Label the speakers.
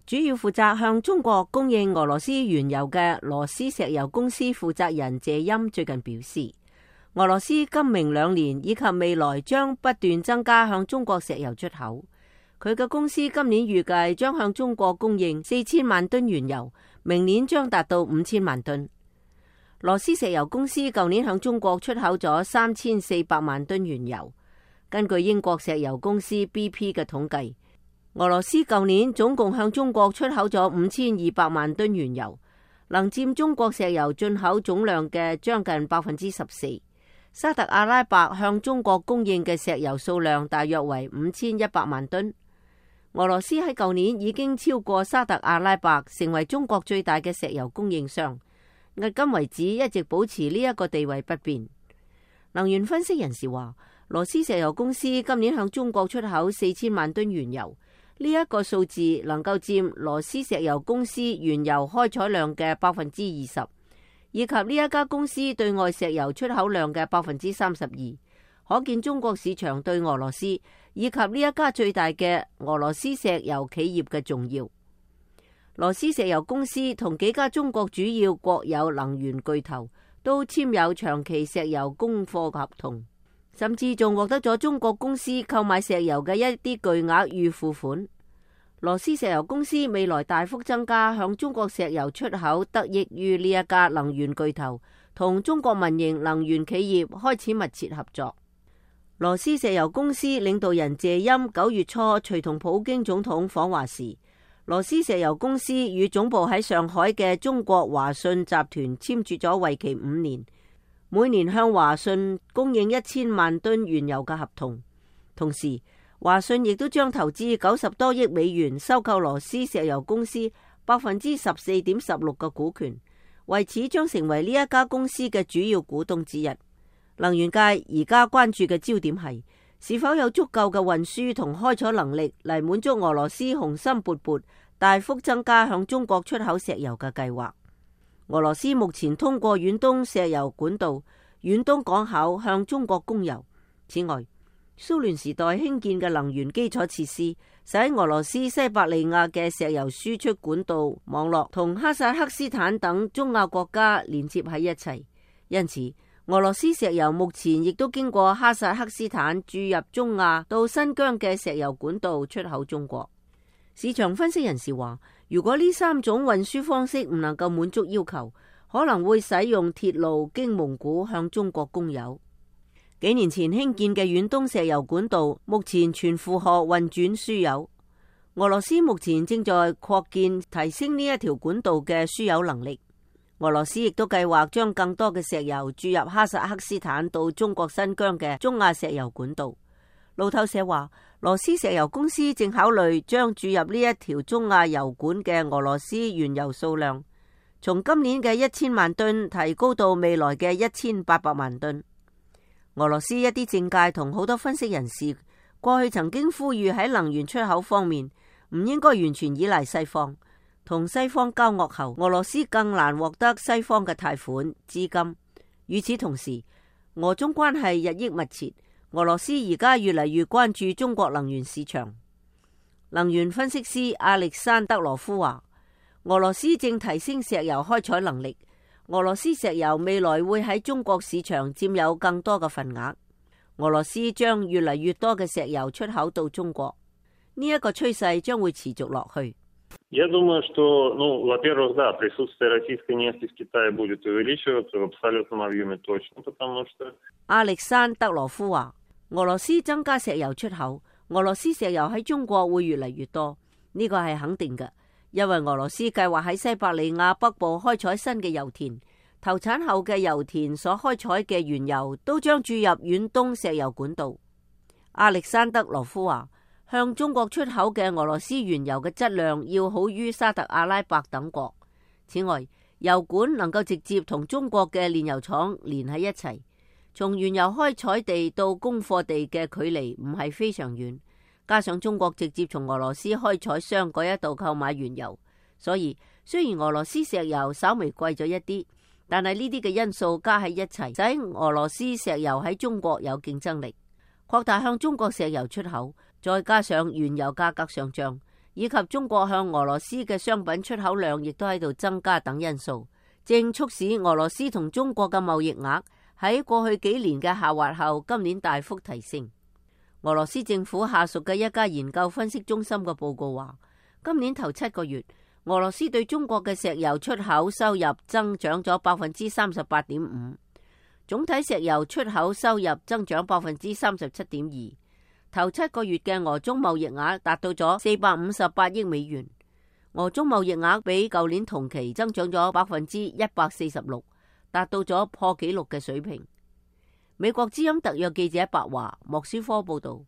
Speaker 1: 主要負責向中國供應俄羅斯原油嘅羅斯石油公司負責人謝欽最近表示，俄羅斯今明2年以及未來將不斷增加向中國石油出口。佢嘅公司今年預計將向中國供應4000萬噸原油，明年將達到5000萬噸。羅斯石油公司舊年向中國出口咗3400萬噸原油。根據英國石油公司 BP 嘅統計，俄羅斯舊年總共向中國出口咗5200萬噸原油，能佔中國石油進口總量嘅將近14%。沙特阿拉伯向中國供應嘅石油數量大約為5100萬噸。俄羅斯喺舊年已經超過沙特阿拉伯，成為中國最大嘅石油供應商。迄今為止一直保持呢一個地位不變。能源分析人士話，羅斯石油公司今年向中國出口4000萬噸原油，呢一個數字能夠佔羅斯石油公司原油開採量嘅20%，以及呢一家公司對外石油出口量嘅32%。可見中國市場對俄羅斯以及呢一家最大嘅俄羅斯石油企業嘅重要。羅斯石油公司同幾家中國主要國有能源巨頭都簽有長期石油供貨合同，甚至仲獲得咗中國公司購買石油嘅一啲巨額預付款。羅斯石油公司未來大幅增加向中國石油出口，得益於呢一家能源巨頭同中國民營能源企業開始密切合作。羅斯石油公司領導人謝欽9月初隨同普京總統訪華時，羅斯石油公司與總部喺上海嘅中國華信集團簽署咗為期5年，每年向華信供應1000萬噸原油嘅合同。同時，華信亦都將投資90多億美元收購羅斯石油公司14.16%嘅股權，為此將成為呢一家公司嘅主要股東之一。能源界而家關注嘅焦點係是否有足夠嘅運輸同開採能力嚟滿足俄羅斯雄心勃勃大幅增加向中國出口石油嘅計劃。俄羅斯目前通過遠東石油管道、遠東港口向中國供油。此外，蘇聯時代興建嘅能源基礎設施，使俄羅斯西伯利亞嘅石油輸出管道網絡同哈薩克斯坦等中亞國家連接喺一齊，因此俄羅斯石油目前亦都經過哈薩克斯坦注入中亞到新疆嘅石油管道出口中國。市場分析人士話，如果呢3種運輸方式唔能夠滿足要求，可能會使用鐵路經蒙古向中國供油。幾年前興建嘅遠東石油管道目前全負荷運轉輸油，俄羅斯目前正在擴建提升呢一條管道嘅輸油能力。俄羅斯亦都計劃將更多嘅石油注入哈薩克斯坦到中國新疆嘅中亞石油管道。路透社話，羅斯石油公司正考慮將注入呢一條中亞油管嘅俄羅斯原油數量，從今年嘅1000萬噸提高到未來嘅1800萬噸。俄羅斯一啲政界同好多分析人士過去曾經呼籲喺能源出口方面唔應該完全依賴西方。同西方交惡後，俄羅斯更難獲得西方嘅貸款資金。與此同時，俄中關係日益密切，俄羅斯而家越嚟越關注中國能源市場。能源分析師亞歷山德羅夫話，俄羅斯正提升石油開採能力，俄羅斯石油未來會喺中國市場佔有更多嘅份額。俄羅斯將越嚟越多嘅石油出口到中國，呢一個趨勢將會持續落去。
Speaker 2: Я думаю, что, во-первых, да, присутствие российской нефти в Китае будет увеличиваться в абсолютном объеме точно, потому что...
Speaker 1: 亞歷山德羅夫話，俄羅斯增加石油出口，俄羅斯石油喺中國會越嚟越多，呢個係肯定嘅，因為俄羅斯計劃喺西伯利亞北部開採新嘅油田，投產後嘅油田所開採嘅原油都將注入遠東石油管道。亞歷山德羅夫話，向中國出口嘅俄羅斯原油嘅質量要好於沙特阿拉伯等國。此外，油管能夠直接同中國嘅煉油廠連喺一齊，從原油開採地到供貨地嘅距離唔係非常遠，加上中國直接從俄羅斯開採商嗰一度購買原油，所以雖然俄羅斯石油稍微貴咗一啲，但係呢啲嘅因素加喺一齊，使俄羅斯石油喺中國有競爭力，擴大向中國石油出口。再加上原油價格上漲，以及中國向俄羅斯嘅商品出口量亦都喺度增加等因素，正促使俄羅斯同中國嘅貿易額喺過去幾年嘅下滑後，今年大幅提升。俄羅斯政府下屬嘅一家研究分析中心嘅報告話，今年頭7個月，俄羅斯對中國嘅石油出口收入增長咗 38.5%， 總體石油出口收入增長 37.2%。頭7個月嘅俄中貿易額達到咗458億美元，俄中貿易額比舊年同期增長咗 146%， 達到咗破紀錄嘅水平。美國之音特約記者白華莫斯科報道。